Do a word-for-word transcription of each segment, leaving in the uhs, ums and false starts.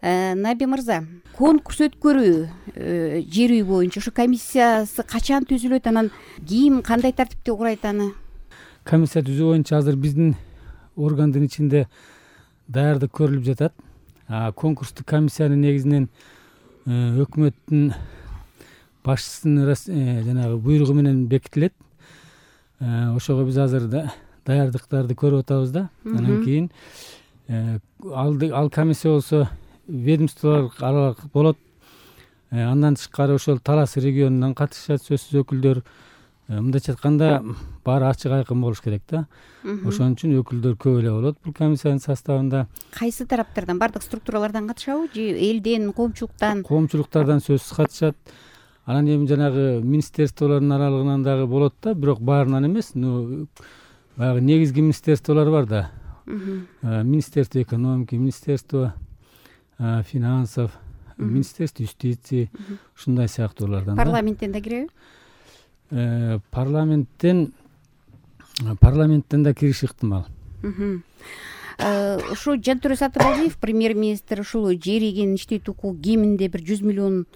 Наби мырза, конкурс өткөрүү жер үй боюнча ушу комиссиясы качан түзүлөт, анан ким кандай тартипте курайт аны? Комиссия түзүү боюнча азыр биздин органдын ичинде даярдык көрүлүп жатат. Конкурстук комиссиянын негизинен өкмөттүн башчысынын жанагы буйругу менен бекитилет. Ошого биз азыр даярдыктарды көрүп атабыз да. Анан кийин ал комиссия болсо ведомстволор аралык болот. Андан тышкары ошол Талас регионунан катышат сөзсүз өкүлдөр. Мындайча айтканда баары ачык айкын болуш керек да. Ошон үчүн өкүлдөр көп эле болот бул комиссиянын составында. Кайсы тараптардан, бардык структуралардан катышабы же элден, коомчулуктан? Коомчулуктардан сөзсүз катышат. Анан эми жанагы министерстволордун аралыгынан дагы болот да, бирок баарынан эмес. Баягы негизги министерстволор бар да. Министерство экономики, министерство финансов, министерство юстиции, ушундай сыяктуулардан. Парламенттен да киреби? Парламенттен парламенттен да кириш ыктымал. Ушу Жантөре Сатыбалдиев, премьер-министр, ушул жер ийген иштетүү укугу кеминде бир жүз миллион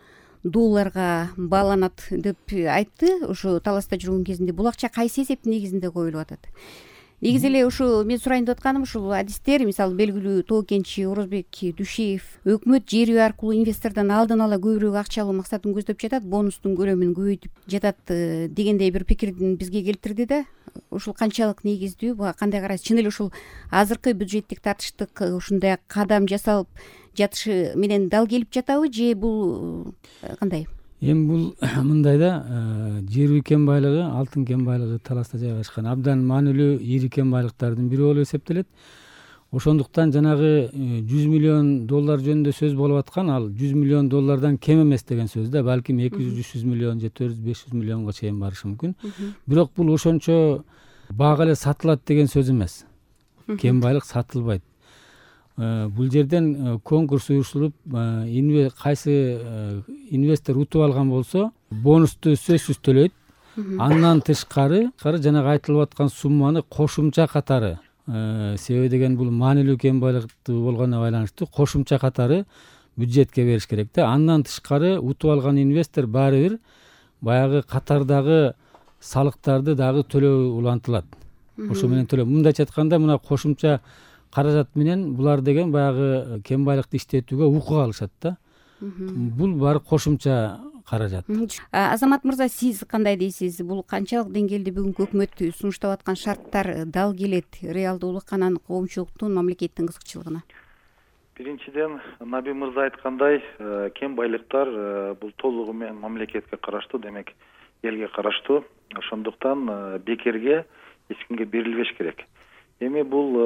долларга бааланат деп айтты. Ушу таласта жүргөн кезинде бул акча кайсы эсептин негизинде коюлуп атат? Негизи эле ушу мен сурайын деп атканым, ушул адистер, мисалы белгилүү Тоо Кенчи, Орозбек Дүйшеев, өкмөт жер үй аркылуу инвестордон алдын ала көбүрөөк акча алуу максатын көздөп жатат, бонустун көлөмүн көбөйтүп жатат дегендей бир пикирдин бизге келтирди да. Ушул канчалык негиздүү, буга кандай карайсыз? Чын эле ушул азыркы бюджеттик тартыштык ушундай кадам жасалып жатышы менен дал келип жатабы же бул кандай? Эми бул мындай да, жер үй кен байлыгы, алтын кен байлыгы Таласта жайгашкан абдан маанилүү ири кен байлыктардын бири болуп эсептелет. Ошондуктан жанагы жүз миллион доллар жөнүндө сөз болуп аткан, ал жүз миллион доллардан кем эмес деген сөз да. Балким эки жүз үч жүз миллион же төрт жүз беш жүз миллионго чейин барышы мүмкүн. Бирок бул ошончо бага эле сатылат деген сөз эмес. Кен байлык сатылбайт. Бул жерден конкурс уюштуруп, кайсы инвестор утуп алган болсо, бонусту сөзсүз төлөйт. Андан тышкары, жанагы айтылып аткан сумманы кошумча катары, себеби деген бул маанилүү кен байлыктуу болгонуна байланыштуу кошумча катары бюджетке бериш керек да. Андан тышкары утуп алган инвестор баары бир баягы катардагы салыктарды дагы төлөө улантылат. Ошо менен төлөө. Мындайча айтканда, мына кошумча каражат менен булар деген баягы кен байлыкты иштетүүгө укук алышат да. Бул баары кошумча каражат. Азамат мырза, сиз кандай дейсиз? Бул канчалык деңгээлде бүгүнкү өкмөт сунуштап аткан шарттар дал келет реалдуулукка, анан коомчулуктун, мамлекеттин кызыкчылыгына? Биринчиден, Наби мырза айткандай, кен байлыктар бул толугу менен мамлекетке караштуу, демек элге караштуу. Ошондуктан бекерге эч кимге берилбеш керек. Эми бул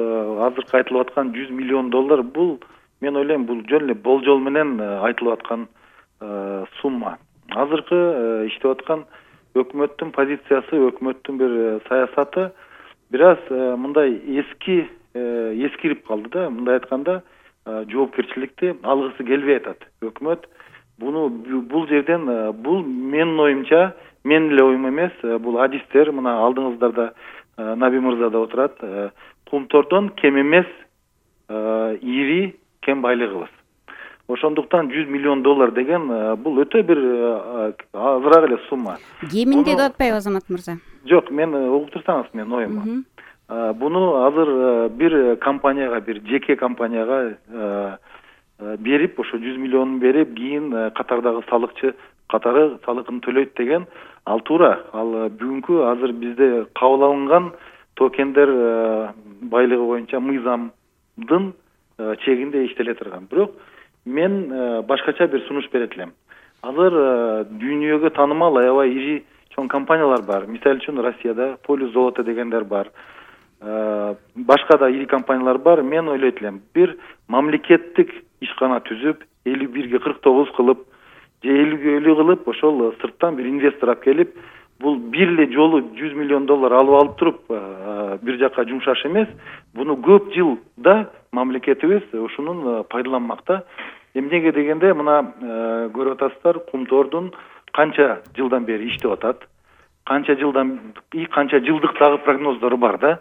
азыркы айтылып аткан жүз миллион доллар, бул мен ойлойм, бул жөн эле болжол менен айтылып аткан сумма. Азыркы иштеп аткан өкмөттүн позициясы, өкмөттүн бир саясаты бир аз мындай эски эскирип калды да. Мындай айтканда, жоопкерчиликти алгысы келбей атат өкмөт. Буну бул жерден, бул менин оюмча, мен эле оюм эмес, бул адистер, мына алдыңыздарда Наби мырза да отурат, Кумтордон кем эмес ири кен байлыгыбыз. Ошондуктан жүз миллион доллар деген бул өтө бир азыраак эле сумма. Кеминде деп атпайбы Азамат мырза? Жок, мен угуп турсаңыз, мен оюм. Буну азыр бир компанияга, бир жеке компанияга берип, ошо жүз миллионун берип, кийин катардагы салыкчы катары салыгын төлөйт деген ал туура. Ал бүгүнкү азыр бизде кабыл алынган токендер байлыгы боюнча мыйзамдын чегинде иштеле турган. Бирок мен башкача бир сунуш берет элем. Азыр дүйнөгө таанымал аябай ири чоң компаниялар бар. Мисалы үчүн Россияда Полюс золото дегендер бар. Башка да ири компаниялар бар. Мен ойлойт элем, бир мамлекеттик ишкана түзүп, элүү бирге кырк тогуз кылып, же элүүгө элүү кылып, ошол сырттан бир инвестор алып келип, бул бир эле жолу жүз миллион доллар алып алып туруп, бир жакка жумшаш эмес, буну көп жылда мамлекетибиз ушунун пайдаланмакта. Эмнеге дегенде, мына көрүп атасыздар, Кумтордун канча жылдан бери иштеп атат, канча жылдан и канча жылдык дагы прогноздору бар да.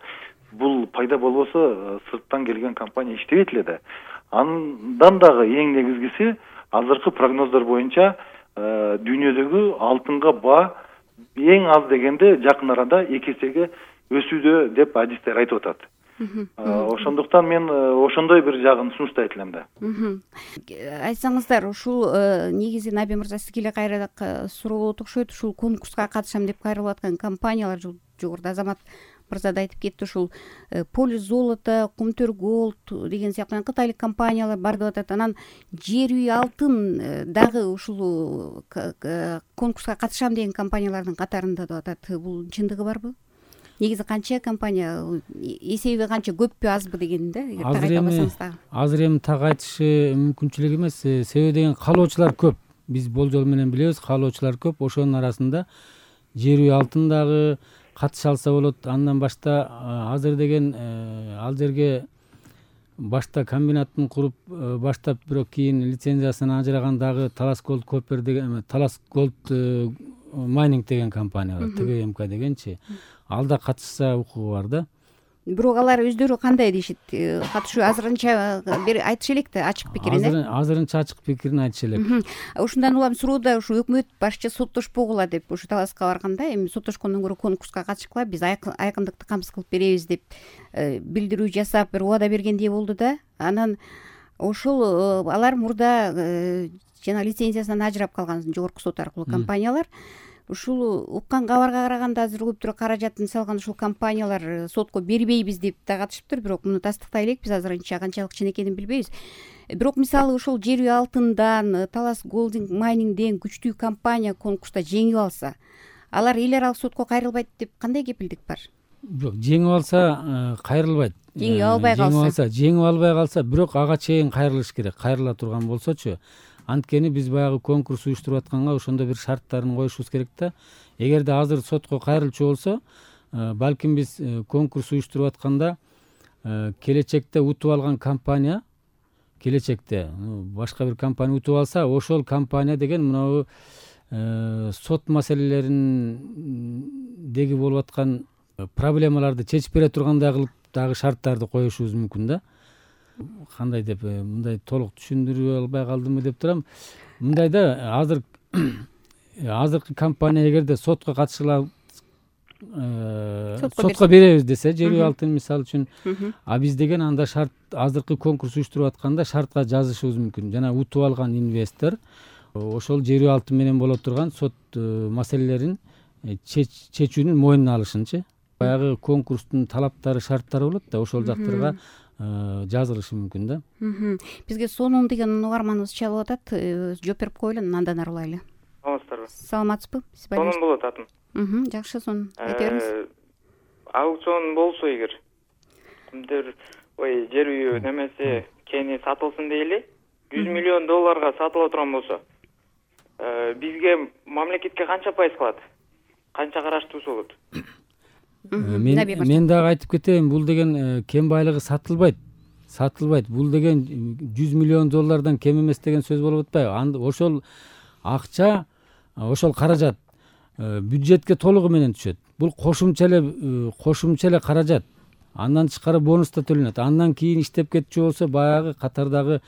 Бул пайда болбосо, сырттан келген компания иштебейт эле да. Андан дагы эң негизгиси азыркы прогноздор боюнча дүйнөдөгү алтынга баа эң аз дегенде жакын арада эки эсеге өсүүдө деп адистер айтып атат. Ошондуктан мен ошондой бир жагын сунуштайт элем да. Айтсаңыздар, ушул негизи Наби мырза сизге эле кайра суроо болот окшойт. Ушул конкурска катышам деп кайрылып аткан компаниялар, жогоруда Азамат мырза да айтып кетти, ушул Полис золото, Кумтөр голд деген сыяктуу кытайлык компаниялар бар деп атат. Анан жер үй алтын дагы ушул конкурска катышам деген компаниялардын катарында деп атат. Бул чындыгы барбы? Негизи канча компания, эсеби канча, көппү азбы деген да, эгер так айта алсаңыз дагы. Азыр эми так айтышы мүмкүнчүлүк эмес, себеби деген каалоочулар көп. Биз болжол менен билебиз, каалоочулар көп. Ошонун арасында жер үй алтын дагы катыша алса болот. Андан башта азыр деген ал жерге башта комбинатын куруп баштап, бирок кийин лицензиясын ажыраган дагы Талас Голд Копер деген, Талас Голд Майнинг деген компания бар, Т Г М К дегенчи. Ал да катышса укугу бар да. Бирок алар өздөрү кандай дешет? Катышуу азырынча бир айтышы элек да, ачык пикирин, э? Азырынча ачык пикирин айтышы элек. Ушундан улам суроода ушу өкмөт башчы соттошпогула деп ушу таласка барганда, эми соттошкондон көрө конкурска катышкыла, биз айкындыкты камсыз кылып беребиз деп билдирүү жасап, бир убада бергендей болду да. Анан ошол алар мурда жана лицензиясынан ажырап калган жогорку сот аркылуу компаниялар. Ушул уккан кабарга караганда азыр көптүрө каражатын салган ушул компаниялар сотко бербейбиз деп да катышыптыр, бирок муну тастыктай элек, биз азырынча канчалык чын экенин билбейбиз. Бирок мисалы ушул жер үй алтындан, Талас Голд Майнингден күчтүү компания конкурста жеңип алса, алар эл аралык сотко кайрылбайт деп кандай кепилдик бар? Жок, жеңип алса кайрылбайт. Жеңип албай калса, жеңип алса, жеңип албай калса, бирок ага чейин кайрылыш керек. Кайрыла турган болсочу, анткени биз баягы конкурс уюштуруп атканга ошондо бир шарттарын коюшубуз керек да. Эгерде азыр сотко кайрылчу болсо, балким биз конкурс уюштуруп атканда келечекте утуп алган компания, келечекте башка бир компания утуп алса, ошол компания деген мынау сот маселелериндеги болуп аткан проблемаларды чечип бере тургандай кылып дагы шарттарды коюшубуз мүмкүн да. Кандай деп мындай толук түшүндүрө албай калдымбы деп турам. Мындай да, азыр азыркы компания эгерде сотко катышыла, сотко беребиз десе, жер үй алтын мисалы үчүн, а биз деген анда шарт, азыркы конкурс уюштуруп атканда шартка жазышыбыз мүмкүн. Жана утуп алган инвестор ошол жер үй алтын менен боло турган сот маселелерин чечүүнүн мойнуна алышынчы. Баягы конкурстун талаптары, шарттары болот да, ошол жактарга жазылышы мүмкүн да. Бизге сонун деген угарманыбыз чалып атат. Жооп берип коелу, андан ары улайлы. Саламатсыздарбы? Саламатсызбы? Сонун болот атым. Жакшы, сонун. Айта бериңиз. Аукцион болсо эгер, кимдир ой жер үйү немеси кени сатылсын дейли, жүз миллион долларга сатыла турган болсо, бизге мамлекетке канча пайыз калат? Канча караштуусу болот? Мен мен дагы айтып кетейин, бул деген кен байлыгы сатылбайт. Сатылбайт. Бул деген жүз миллион доллардан кем эмес деген сөз болуп атпайбы? Ошол акча, ошол каражат бюджетке толугу менен түшөт. Бул кошумча эле кошумча эле каражат. Андан тышкары бонус да төлөнөт. Андан кийин иштеп кетчү болсо, баягы катардагы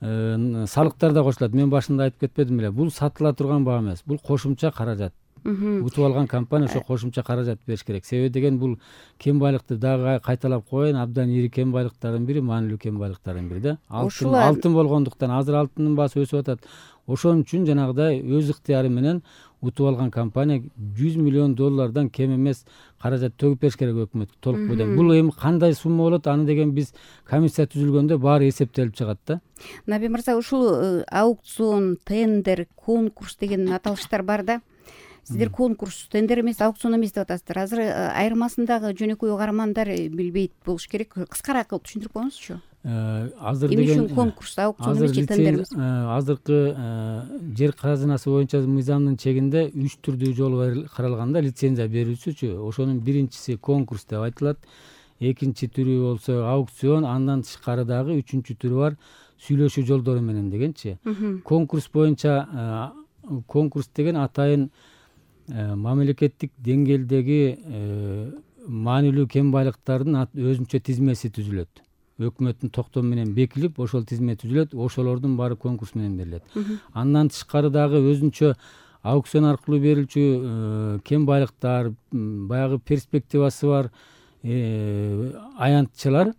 салыктар да кошулат. Мен башында айтып кетпедим беле. Бул сатыла турган баа эмес. Бул кошумча каражат. Утуп алган компания ошо кошумча каражат бериш керек. Себеби деген бул кен байлыкты дагы кайталап коеюн, абдан ири кен байлыктардын бири, маанилүү кен байлыктардын бири да. Алтын, алтын болгондуктан азыр алтындын баасы өсүп атат. Ошон үчүн жанагыдай өз ыктыяры менен утуп алган компания жүз миллион доллардан кем эмес каражат төгүп бериш керек өкмөткө толук бойдон. Бул эми кандай сумма болот? Аны деген биз комиссия түзүлгөндө баары эсептелип чыгат да. Наби мырза, ушул аукцион, тендер, конкурс деген аталыштар бар да. Сиздер конкурс, тендер эмес, аукцион эмес деп атасыздар. Азыр айырмасындагы жөнөкөй угармандар билбейт болуш керек. Кыскараак кылып түшүндүрүп коюңузчу. Азыр деген эмне үчүн конкурс, аукцион эмес, тендер эмес? Азыркы жер казынасы боюнча мыйзамдын чегинде үч түрдүү жол каралган да, лицензия берүүчүчү. Ошонун биринчиси конкурс деп айтылат. Экинчи түрү болсо аукцион, андан тышкары дагы үчүнчү түрү бар, сүйлөшүү жолдору менен дегенчи. Конкурс боюнча конкурс деген атайын мамлекеттик деңгээлдеги маанилүү кен байлыктардын өзүнчө тизмеси түзүлөт. өкмөттүн токтому менен бекилип ошол тизме түзүлөт, ошолордун баары конкурс менен берилет. Андан тышкары дагы өзүнчө аукцион аркылуу берилчү кен байлыктар, баягы перспективасы бар аянтчылар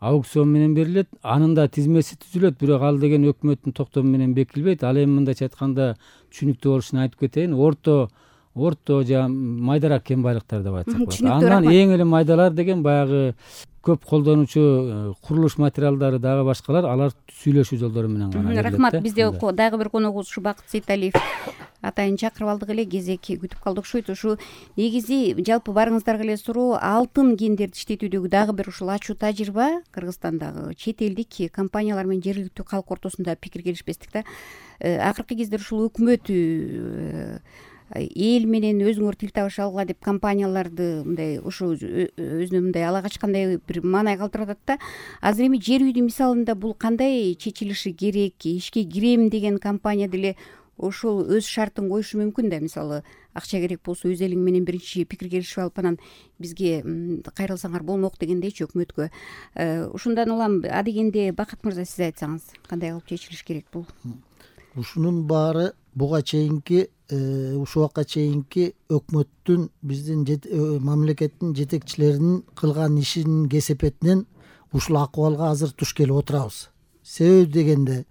аукцион менен берилет. Анын да тизмеси түзүлөт, бирок ал деген өкмөттүн токтому менен бекилбейт. Ал эми мындайча айтканда түшүнүктүү болушун айтып кетейин. Орто орто же майдарак кен байлыктар деп айтсак болот. Андан эң эле майдалар деген баягы көп колдонуучу курулуш материалдары дагы башкалар, алар сүйлөшүү жолдору менен гана берилет. Рахмат. Бизде дагы бир коногубуз ушу Бакыт Сейталиев атайын чакырып алдык эле, кезек күтүп калды окшойт. Ушу негизи жалпы баарыңыздарга эле суроо, алтын кендерди иштетүүдөгү дагы бир ушул ачуу тажрыйба Кыргызстандагы чет элдик компаниялар менен жергиликтүү калк ортосунда пикир келишпестик да. Акыркы кездер ушул өкмөт эл менен өзүңөр тил табыша алгыла деп компанияларды мындай ушу өзүнө мындай ала качкандай бир маанай калтырып атат да. Азыр эми жер үйдүн мисалында бул кандай чечилиши керек? Ишке кирем деген компания деле ошол өз шартын коюшу мүмкүн да. Мисалы, акча керек болсо өз элиң менен биринчи пикир келишип алып анан бизге кайрылсаңар болмок дегендейчи өкмөткө. Ушундан улам адегенде Бакыт мырза, сиз айтсаңыз, кандай кылып чечилиш керек бул? Ушунун баары буга чейинки ушул убакка чейинки өкмөттүн, биздин мамлекеттин жетекчилеринин кылган ишинин кесепетинен ушул акыбалга азыр туш келип отурабыз. Себеби дегенде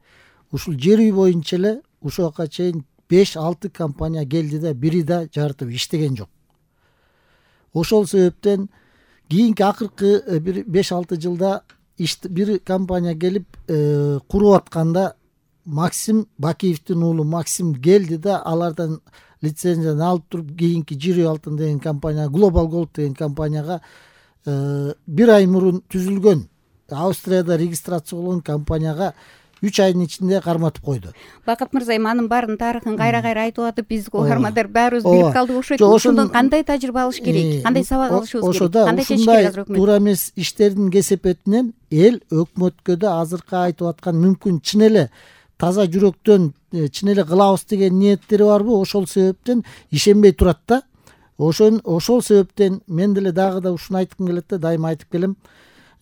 ушул жер үй боюнча эле ушул убакка чейин беш алты компания келди да, бири да жарытып иштеген жок. Ошол себептен кийинки акыркы бир беш алты жылда бир компания келип куруп атканда Максим Бакиевдин уулу Максим келди да, алардан лицензияны алып туруп кийинки Жир үй алтын деген компания, Global Gold деген компанияга бир ай мурун түзүлгөн, Австрияда регистрация болгон компанияга үч айдын ичинде карматып койду. Бакыт мырза, эми анын баарын тарыхын кайра-кайра айтып атып, биз угармандар баарыбыз билип калдык окшойт. Ошондон кандай тажрыйба алыш керек? Кандай сабак алышыбыз керек? Кандай чечиш керек азыр өкмөт? Туура эмес иштердин кесепетинен эл өкмөткө да азыркы айтып аткан мүмкүн чын эле таза жүрөктөн чын эле кылабыз деген ниеттери барбы? Ошол себептен ишенбей турат да. Ошон ошол себептен мен деле дагы да ушуну айткым келет да, дайыма айтып келем.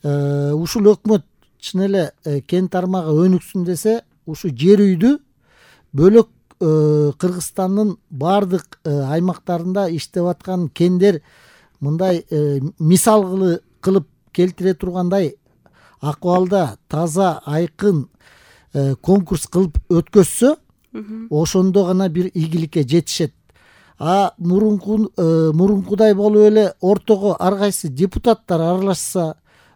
Ушул өкмөт чын эле кен тармагы өнүксүн десе, ушу жер үйдү бөлөк Кыргызстандын баардык аймактарында иштеп аткан кендер мындай мисал кылып келтире тургандай акыбалда таза, айкын конкурс кылып өткөзсө, ошондо гана бир ийгиликке жетишет. А мурунку мурункудай болуп эле ортого ар кайсы депутаттар аралашса,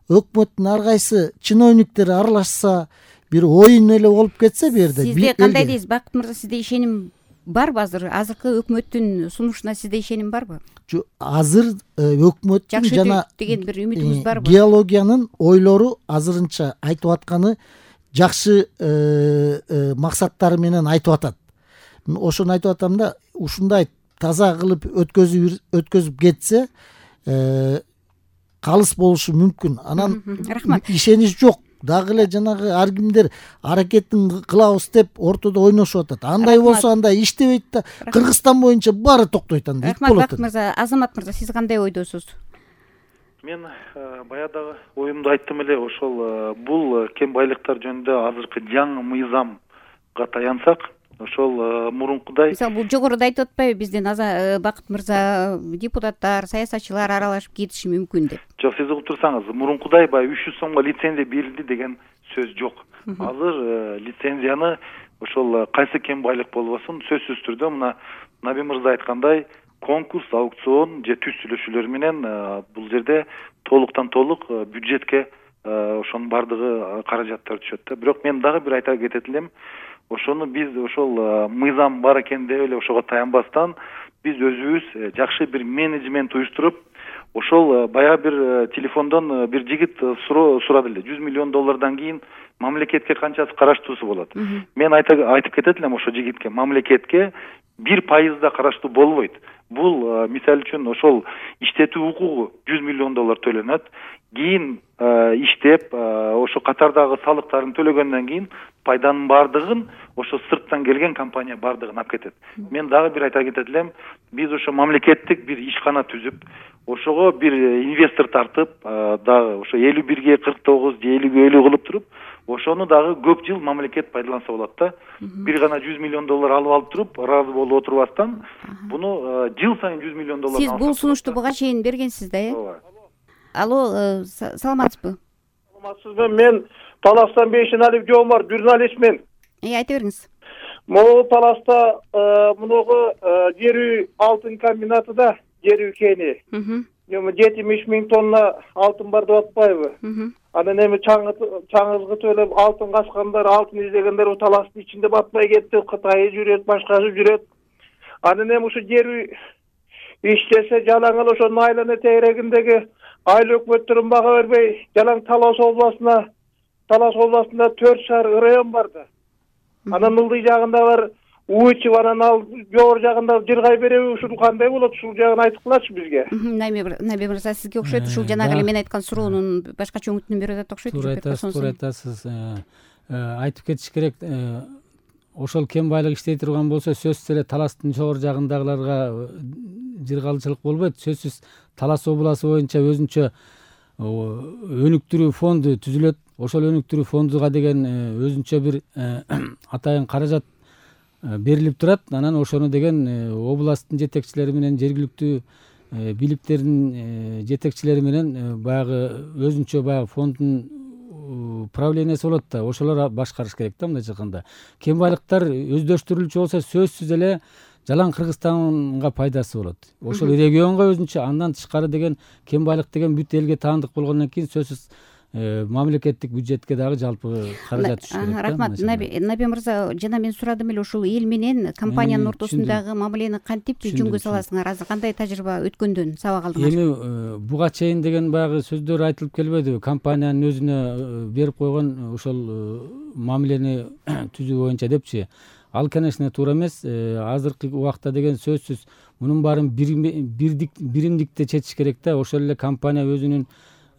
өкмөттүн ар кайсы чиновниктери аралашса, бир оюн эле болуп кетсе бу жерде. Сизде кандай дейсиз, Бакыт мырза, сизде ишеним барбы азыр? Азыркы өкмөттүн сунушуна сизде ишеним барбы? Жок, азыр өкмөттүн жана деген бир үмүтүңүз барбы? Геологиянын ойлору азырынча айтып атканы жакшы максаттары менен айтып атат. Ошону айтып атам да, ушундай таза кылып өткөзүп өткөзүп кетсе, калыс болушу мүмкүн. Анан ишенич жок. Дагы эле жанагы ар кимдер аракетин кылабыз деп ортодо ойношуп атат. Андай болсо андай иштебейт да, Кыргызстан боюнча баары токтойт анда. Рахмат, Бакыт мырза. Азамат мырза, сиз кандай ойдосуз? Мен баягы оюмду айттым эле, ошол бул кен байлыктар жөнүндө азыркы жаңы мыйзамга таянсак, ошол мурункудай, мисалы, бул жогоруда айтып атпайбы, бизден Бакыт мырза, депутаттар, саясатчылар аралашып кетиши мүмкүн деп? Жок, сиз угуп турсаңыз, мурункудай баягы үч жүз сомго лицензия берилди деген сөз жок. Азыр лицензияны ошол кайсы кен байлык болбосун, сөзсүз түрдө мына Наби мырза айткандай, конкурс, аукцион же түз сүйлөшүүлөр менен бул жерде толуктан толук бюджетке ошонун баардыгы каражаттар түшөт да. Бирок мен дагы бир айта кетет элем, ошону биз ошол мыйзам бар экен деп эле ошого таянбастан, биз өзүбүз жакшы бир менеджмент уюштуруп, ошол баягы бир телефондон бир жигит сурады эле, жүз миллион доллардан кийин мамлекетке канчасы караштуусу болот. Мен айтып кетет элем ошо жигитке, мамлекетке бир пайыз да караштуу болбойт. Бул мисалы үчүн ошол иштетүү укугу жүз миллион доллар төлөнөт. Кийин иштеп, ошо катардагы салыктарын төлөгөндөн кийин пайданын баардыгын ошо сырттан келген компания баардыгын алып кетет. Мен дагы бир айта кетет элем, биз ошо мамлекеттик бир ишкана түзүп, ошого бир инвестор тартып, дагы ошо элүү бирге кырк тогуз же элүүгө элүү кылып туруп, ошону дагы көп жыл мамлекет пайдаланса болот да. Бир гана жүз миллион доллар алып алып туруп, ыраазы болуп отурбастан, буну жыл сайын жүз миллион доллар. Сиз бул сунушту буга чейин бергенсиз да, э? Ооба. Алло, саламатсызбы? Саламатсызбы? Мен Таластан Бейшеналиев Жомар, журналистмин. Э, айта бериңиз. Могул Таласта мунугу жер үй алтын комбинатыда жер үй кени. жетимиш миң тонна алтын бар деп атпайбы? Анан эми чаңызгы төлөп алтын качкандар, алтын издегендер Таластын ичинде батпай кетти. Кытай жүрөт, башкасы жүрөт. Анан эми ушу жер үй иштесе жалаң эле ошо Найланы тегерегиндеги айыл өкмөттөрүн бага бербей, жалаң Талас областына, Талас областында төрт шаар район бар да. Анан ылдый жагында бар Уучев, анан ал жогору жагында Жыргай береби, ушул кандай болот? Ушул жагын айтып кылачы бизге. Наби мырза, сизге окшойт, ушул жанагы эле мен айткан суроонун башкача өңүтүн берип атат окшойт. Туура айтасыз, туура айтасыз. Айтып кетиш керек, ошол кен байлык иштей турган болсо, сөзсүз эле Таластын жогору жагындагыларга жыргалчылык болбойт. Сөзсүз Талас областы боюнча өзүнчө өнүктүрүү фонду түзүлөт. Ошол өнүктүрүү фондуга деген өзүнчө бир атайын каражат берилип турат. Анан ошону деген областтын жетекчилери менен, жергиликтүү бийликтердин жетекчилери менен баягы өзүнчө баягы фонддун правлениясы болот да, ошолор башкарыш керек да. Мындай айтканда, кен байлыктар өздөштүрүлчү болсо, сөзсүз эле жалаң Кыргызстанга пайдасы болот. Ошол регионго өзүнчө, андан тышкары деген кен байлык деген бүт элге таандык болгондон кийин сөзсүз мамлекеттик бюджетке дагы жалпы каражат түшүш керек. Рахмат. Наби мырза, жана мен сурадым эле, ушул эл менен компаниянын ортосундагы мамилени кантип жөнгө саласыңар? Азыр кандай тажрыйба өткөндөн сабак алдыңар? Эми буга чейин деген баягы сөздөр айтылып келбедиби? Компаниянын өзүнө берип койгон ошол мамилени түзүү боюнча депчи. Ал, конечно, туура эмес. Азыркы убакта деген сөзсүз мунун баарын биримдикте чечиш керек да. Ошол эле компания өзүнүн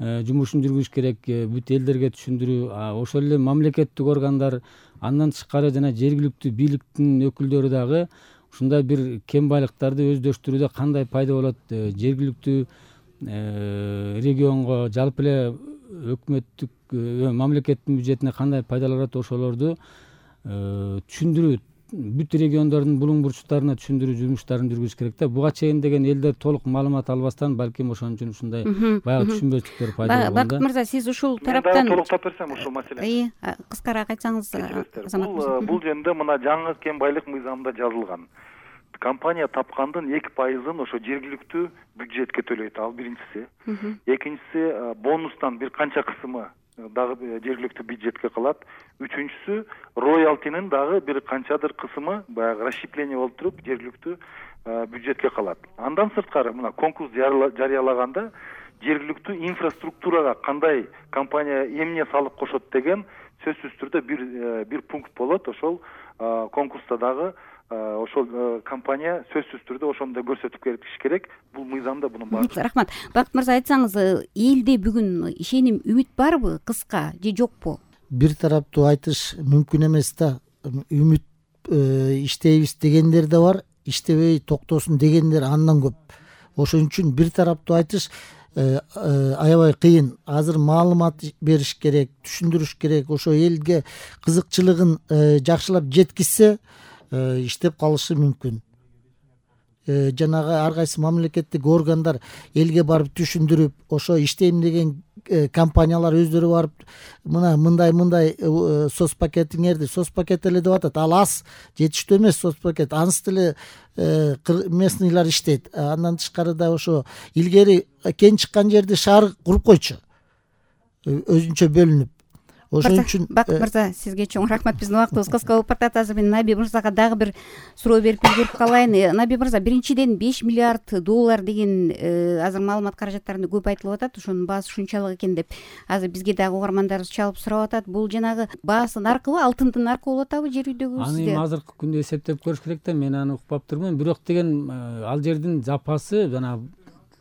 жумушун жүргүзүш керек, бүт элдерге түшүндүрүү, ошол эле мамлекеттик органдар, андан тышкары жана жергиликтүү бийликтин өкүлдөрү дагы ушундай бир кен байлыктарды өздөштүрүүдө кандай пайда болот, жергиликтүү регионго, жалпы эле өкмөттүк мамлекеттин бюджетине кандай пайдалар болот, ошолорду түшүндүрүү, бүт региондордун булуң бурчтарына түшүндүрүү жумуштарын жүргүзүш керек да. Буга чейин деген элдер толук маалымат албастан, балким ошон үчүн ушундай баягы түшүнбөчүлүктөр пайда болгон да. Бакыт мырза, сиз ушул тараптан толуктап берсем ушул маселени. Кыскараак айтсаңыз, Азамат мырза. Бул жөнүндө мына жаңы кен байлык мыйзамында жазылган. Компания тапкандын эки пайызын ошо жергиликтүү бюджетке төлөйт. Ал биринчиси. Экинчиси, бонустан бир канча кысымы дагы жергиликтүү бюджетке калат. Үчүнчүсү, роялтинин дагы бир канчадыр кысымы баягы расщепление болуп туруп жергиликтүү бюджетке калат. Андан сырткары мына конкурс жарыялаганда жергиликтүү инфраструктурага кандай компания эмне салык кошот деген сөзсүз түрдө бир бир пункт болот. Ошол конкурста дагы ошол компания сөзсүз түрдө ошону да көрсөтүп кетиш керек. Бул мыйзамда бунун баары. Рахмат. Бакыт мырза, айтсаңыз, элде бүгүн ишеним, үмүт барбы, кыска же жокпу? Бир тараптуу айтыш мүмкүн эмес да. Үмүт иштейбиз дегендер да бар, иштебей токтосун дегендер андан көп. Ошон үчүн бир тараптуу айтыш аябай кыйын. Азыр маалымат бериш керек, түшүндүрүш керек. Ошо элге кызыкчылыгын жакшылап жеткизсе, иштеп калышы мүмкүн. Жанагы ар кайсы мамлекеттик органдар элге барып түшүндүрүп, ошо иштейм деген компаниялар өздөрү барып, мына мындай мындай соц пакетиңерди, соц пакет эле деп атат. Ал аз, жетиштүү эмес соц пакет. Аныс деле местныйлар иштейт. Андан тышкары да ошо илгери кен чыккан жерди шаар куруп койчу, өзүнчө бөлүнүп. Ошон үчүн Бакыт мырза, сизге чоң рахмат. Биздин убактыбыз кыска болуп баратат. Азыр мен Наби мырзага дагы бир суроо берип үлгүрүп калайын. Наби мырза, биринчиден беш миллиард доллар деген азыр маалымат каражаттарында көп айтылып атат. Ошонун баасы ушунчалык экен деп азыр бизге дагы угармандарыбыз чалып сурап атат. Бул жанагы баасы наркыбы, алтындын наркы болуп атабы жер үйдөгү? Аны эми азыркы күндө эсептеп көрүш керек да. Мен аны укпап турмун. Бирок деген ал жердин запасы жана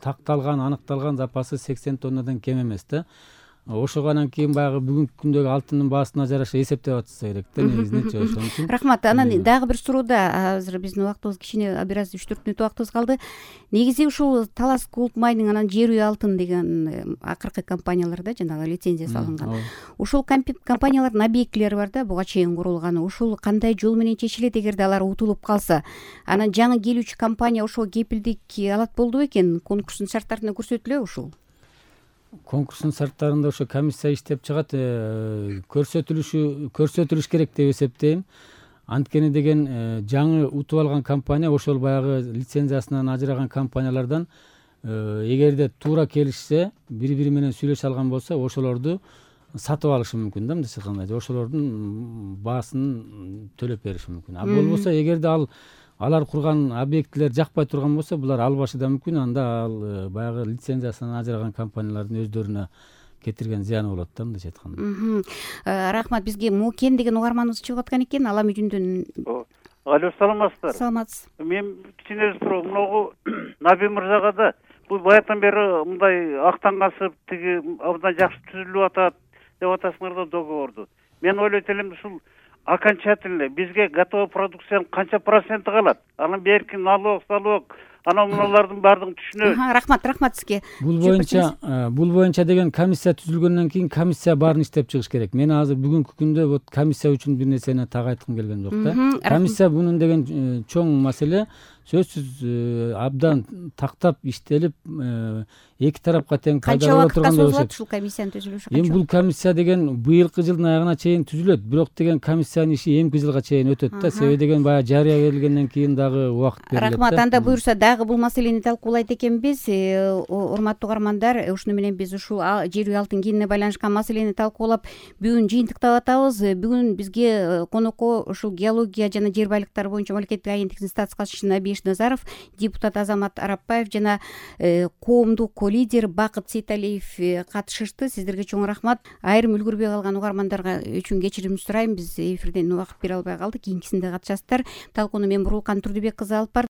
такталган, аныкталган запасы сексен тоннадан кем эмес да. ошого анан кийин баягы бүгүнкү күндөгү алтындын баасына жараша эсептеп атышса керек да негизинечи. Ошон үчүн рахмат. Анан дагы бир суроода, азыр биздин убактыбыз кичине бир аз үч төрт мүнөт убактыбыз калды. Негизи ушул Талас Gold Mining анан Жер үй алтын деген акыркы компанияларда жанагы лицензиясы алынган. Ушул компаниялардын объектилери бар да, буга чейин курулган. Ушул кандай жол менен чечилет эгерде алар утулуп калса? Анан жаңы келүүчү компания ошого кепилдик алат болду бекен? Конкурстун шарттарында көрсөтүлөбү ушул? Конкурстун шарттарында ошо комиссия иштеп чыгат, көрсөтүлүшү көрсөтүлүш керек деп эсептейм. Анткени деген жаңы утуп алган компания ошол баягы лицензиясынан ажыраган компаниялардан эгерде туура келишсе, бири-бири менен сүйлөшө алган болсо, ошолорду сатып алышы мүмкүн да, мындайча айтканда. Ошолордун баасын төлөп бериши мүмкүн. А болбосо эгерде ал алар курган объектилер жакпай турган болсо, булар албашы да мүмкүн. Анда ал баягы лицензиясынан ажыраган компаниялардын өздөрүнө кетирген зыяны болот да, мындайча айтканда. Рахмат. Бизге Мукен деген угарманыбыз чыгып аткан экен. Ала мүжүндөн. Алло, саламатсыздар? Саламатсыз. Мен кичине суроо, мынагу Наби мырзага да бул баягыдан бери мындай актангасып, тиги абдан жакшы түзүлүп атат деп атасыңар да договорду. Мен ойлойт элем, ушул окончательно бизге готовый продукциянын канча проценти калат? Анан берки налог, салог, анан муналардын баардыгын түшүнөбүз. Рахмат, рахмат сизге. Бул боюнча, бул боюнча деген комиссия түзүлгөндөн кийин комиссия баарын иштеп чыгыш керек. Мен азыр бүгүнкү күндө вот комиссия үчүн бир нерсени так айткым келген жок да. Комиссия бунун деген чоң маселе сөзсүз абдан тактап иштелип, эки тарапка тең пайда боло турган болуш керек. Ушул комиссиянын түзүлүшү канча? Эми бул комиссия деген быйылкы жылдын аягына чейин түзүлөт, бирок деген комиссиянын иши эмки жылга чейин өтөт да. Себеби деген баягы жарыя келгенден кийин дагы убакыт берилет. Рахмат. Анда буюрса дагы бул маселени талкуулайт экенбиз. Урматтуу угармандар, ушуну менен биз ушул Жер үй алтын кенине байланышкан маселени талкуулап бүгүн жыйынтыктап атабыз. Бүгүн бизге конокко ушул геология жана жер байлыктары боюнча мамлекеттик агенттиктин статс катчысы Абиш Назаров, депутат Азамат Арапбаев жана коомдук лидер Бакыт Сейталиев катышышты. Сиздерге чоң рахмат. Айрым үлгүрбөй калган угармандарга үчүн кечирим сурайм. Биз эфирден убакыт бере албай калдык. Кийинкисинде катышасыздар. Талкууну мен Бурулкан Турдубек кызы алып бардым.